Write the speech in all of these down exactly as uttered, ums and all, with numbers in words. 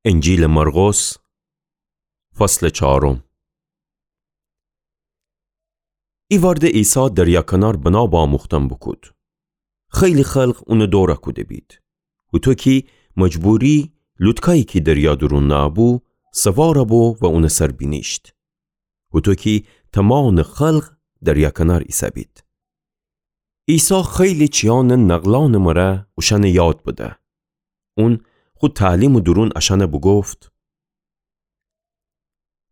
انجیلٚ مرقس، فصلٚ چارم. ایوأرده عیسی دریا کنار بنا باموختن بوکود. خیلی خلق اونٚ دورَ کوده بید. هوطو کی مجبوری لوتکایی کی دریا دورون نأبو، سوارَ بو و اونٚ سر بینیشت. هوطو کی تمانٚ خلق دریا کنار ایسه‌بید. عیسی خیلی چیانٚ نقلأنٚ مره اوشأنَ یاد بده. اون خو تعلیمٚ دورون اشأنَ بوگفت: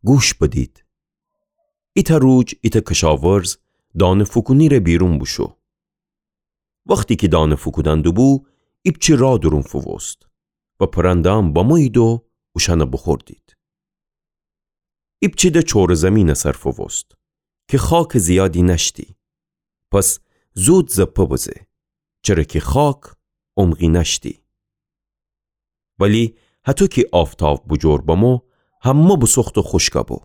گوش بدید. ایتأ روج ایتأ کشاورز دانه فوکونی‌ره بیرون بوشو. وختی کی دانه فوکودن دوبو، ایپچه راه دورون فووست و پرنده‌أن بمویید و اوشأنَ بوخوردید. ایپچه ده چوره زیمینٚ سر فووست کی خاکٚ زیادی نأشتی. پس زود زپه بزه، چره کی خاک عمقی نأشتی. ولی هطو کی آفتاب بوجور بمو، همه بوسوخت و خوشکَ بو،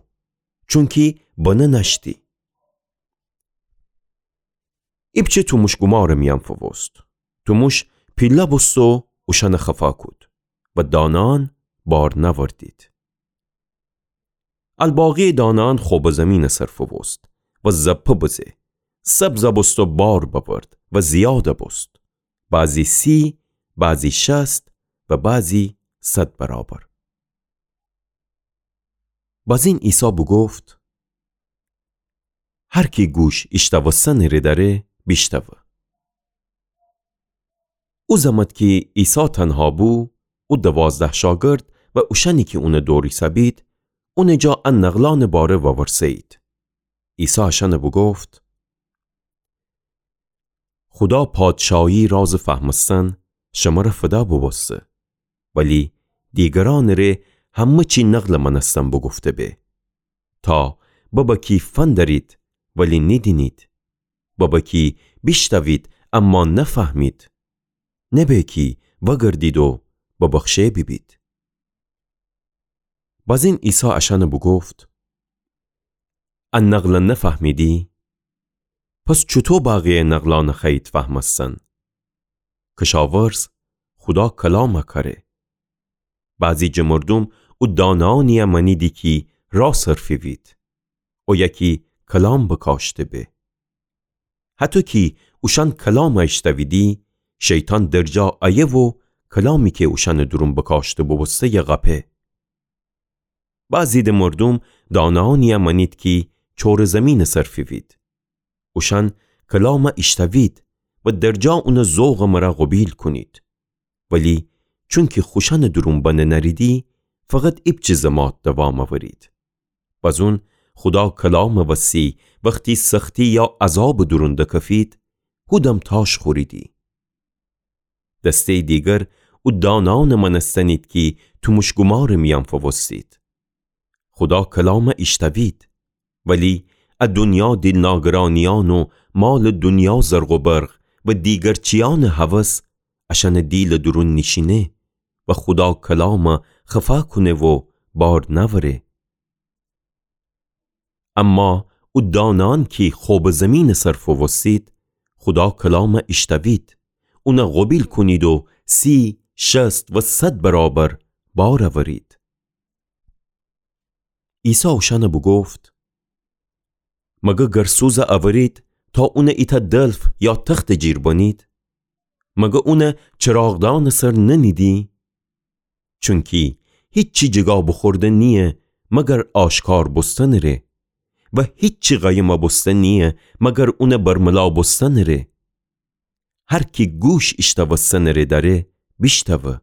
چونکی بنه نأشتی. ایپچه توموش‌گومارٚ میأن فووست. توموش پیله بوست و اوشأنَ خفا کود و دانه‌أن بار نأوردید. الباقی دانه‌أن خوبٚ زیمینٚ سر فووست و زپه بزه، سبزَ بوست و بار بأورد و زیادَ بوست، بعضی سی، بعضی شصت و بعضی صد برابر. بازین عیسی بوگفت: هر کی گوش ایشتوستنٚ ره دأره، بیشتوه. او زمت کی عیسی تنها بو، او دوازده شاگرد و اوشأنی کی اونٚ دور ایسه‌بید، اونٚ جا ا نقلأنٚ باره وورسه‌یید. عیسی اشأنَ بوگفت: خودا پادشاهی رازٚ فهمستن شمره فدا بوبوسته، ولی دیگرأنٚ ره همه چی نقلٚ مأنستن بوگفته به، تا ببه کی فندرید ولی نیدینید، ببه کی بیشتوید اما نفهمید، نبه کی وأگردید و ببخشه بیبید. بازین عیسی اشأنَ بوگفت: ا نقلَ نفهمیدی؟ پس چوطو بقیه نقلأنَ خوأیید فهمستن؟ کشاورز خودا کلامَ کأره. بعضی جٚه مردوم او دانه‌أنی‌یَ مأنیدی کی راه صرفه‌وید، اویه کی کلام بکاشته به. هطو کی اوشأن کلامَ ایشتویدی، شیطان درجا ایه و کلامی کی اوشأنٚ دورون بکاشته بوبوسته‌یَ قپه. بعضی ده مردوم دانه‌أنی‌یَ مأنید کی چوره زیمینٚ سر فیوید. اوشأن کلامَ ایشتوید و درجا اونَ ذوقٚ مره قوبیل کونید. ولی چونکی خوشأنٚ دورون بنه نأریدی، فقط ایپچه زمات دوام اورید. بزون خودا کلامٚ وسی وختی سختی یا عذابٚ دورون دکفید، هودم تاش خوریدی. دسته‌یٚ دیگر او دانه‌أنٚ مأنستنید کی توموش‌گومارٚ میأن فووستید. خودا کلامَ ایشتوید، ولی ا دونیا دیل‌ناگرانیأن و مالٚ دونیا زرق و برق و دیگر چیأنٚ هوس اشأنٚ دیلٚ دورون نیشینه و خودا کلامَ خفا کونه و بار نأوره. اما او دانه‌أن کی خوبٚ زیمینٚ سر فووستید، خودا کلامَ ایشتوید، اونَ قوبیل کونید و سی، شصت و صد برابر بار اورید. عیسی اوشأنَ بوگفت: مگر گرسوزَ اورید تا اونَ ایتأ دلف یا تختٚ جیر بنید؟ مگر اونَ چراغدأنٚ سر ننیدی؟ چونکی هیچی جیگا بوخورده نییه مگر آشکار بوستنٚ ره و هیچی قایمَ بوسته نییه مگر اونَ برملا بوستنٚ ره. هر کی گوش ایشتوستنٚ ره دأره، بیشتوه.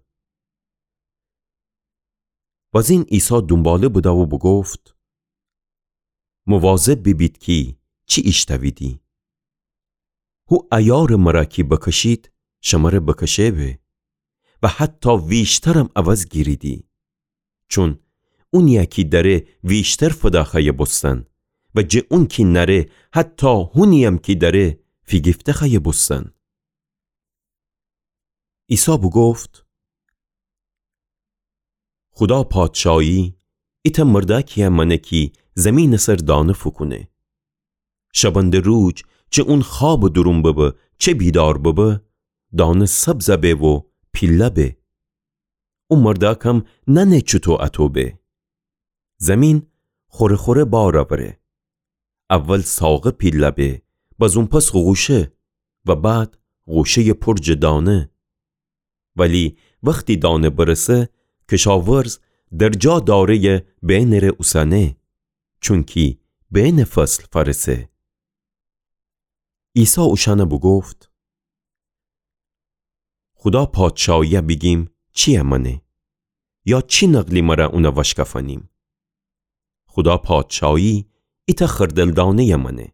بزین عیسی دونباله بده و بوگفت: مواظب بیبید کی چی ایشتویدی. هو عیارٚ مره کی بکشید، شمره بکشه به و حتی ویشترم عوض گیریدی. چون اونی‌یَ کی دأره ویشتر فدا خوأیه بوستن و جٚه اون کی نأره حتی هونی‌یم کی دأره فیگیفته خوأیه بوستن. عیسی بوگفت: خودا پادشاهی ایتأ مردأکی‌یَ مأنه کی زیمینٚ سر دانه فوکونه. شبنده روج چه اون خوابٚ دورون ببه چه بیدار ببه، دانه سبزَ به و پیلَ به. او مرداکم نأنه چوطو اطو به. زمین خوره خوره بار اوره. اول ساغه پیله به، بازون پس غوشه و بعد غوشه‌یٚ پر جٚه دانه. ولی وختی دانه برسه، کشاورز درجا داره‌یٚ بینٚره اوسأنه، چونکی بینٚ فصل فأرسه. عیسی اوشأن بوگفت: خودا پادشاهیی بیگیم چییه مأنه؟ یا چی نقلی مره اون وأشکفأنیم؟ خودا پادشاهی ایتأ خردل دانه‌یه مأنه.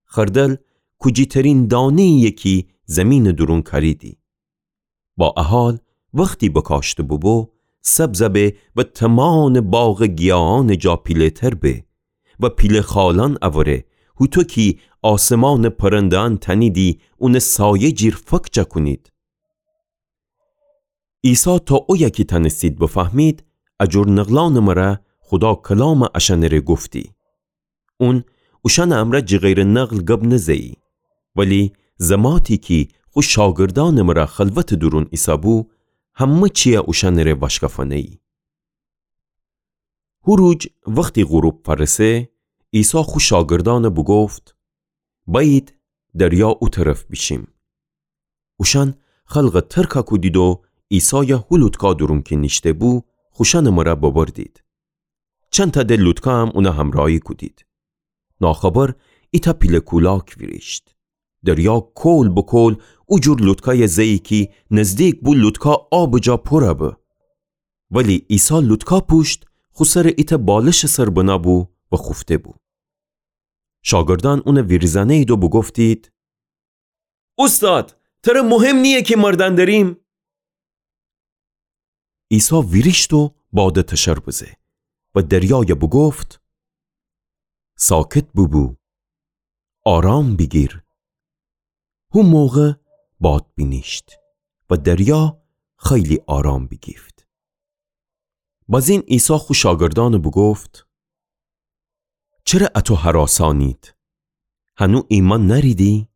خردل کوجی‌ترین دانه‌یی‌یه کی زیمینٚ دورون کأریدی. با ا حال وختی بکاشته بوبو، سبز به و تومانٚ باغٚ گیاهأنٚ جا پیله‌تر به و پیله خالأن اوره، هوطو کی آسمانٚ پرنده‌أن تأنیدی اونٚ سایه جیر فک جا کونید. عیسی تا اویه کی تأنستید بفهمید، ا جور نقلأنٚ مره خودا کلام اشأنٚره گفتی. اون اوشأنٚ امرأ جیغیرٚ نقل گب نزه‌یی. ولی زماتی کی خو شاگردأنٚ مره خلوتٚ دورون ایسه‌بو، همه چییه اوشأنٚره وأشکفأنه‌یی. هو روج وختی غروب فأرسه، عیسی خو شاگردأن بوگفت: بأیید دریا او طرف بیشیم. اوشأن خلقٚ ترکَ کودید و عیسایَ هو لوطکا دورون کی نیشته‌بو، خوشأنٚ مره ببردید. چندتأ د لوطکا هم اونَ همرأیی کودید. ناخبر ایتأ پیله کولاک ویریشت. دریا کول به کول او جور لوطکایَ زه‌یی کی نزدیک بو لوطکا آبٚ جا پورَ به. ولی عیسی لوطکا پوشت خو سرَ ایتأ بالشٚ سر بنه بو و خوفته بو. شاگردأن اونَ ویریزأنه‌یید و بوگفتید: اوستاد، تره مهم نییه کی مردأن دریم؟ عیسی ویریشت و بادَ تشر بزه و دریایَ بوگفت: ساکت بوبو، آرام بیگیر. هو موقع باد بینیشت و دریا خیلی آرام بیگیفت. بازین عیسی خو شاگردأنَ بوگفت: چره اتو هراسانید؟ هنو ایمأن نأریدی؟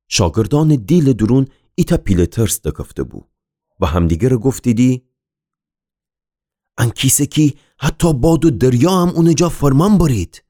شاگردأنٚ دیلٚ دورون ایتأ پیله ترس دکفته بو و همدیگرَ گفتیدی: ان کیسه کی حتی باد و دریا هم اونٚ جا فرمان برید.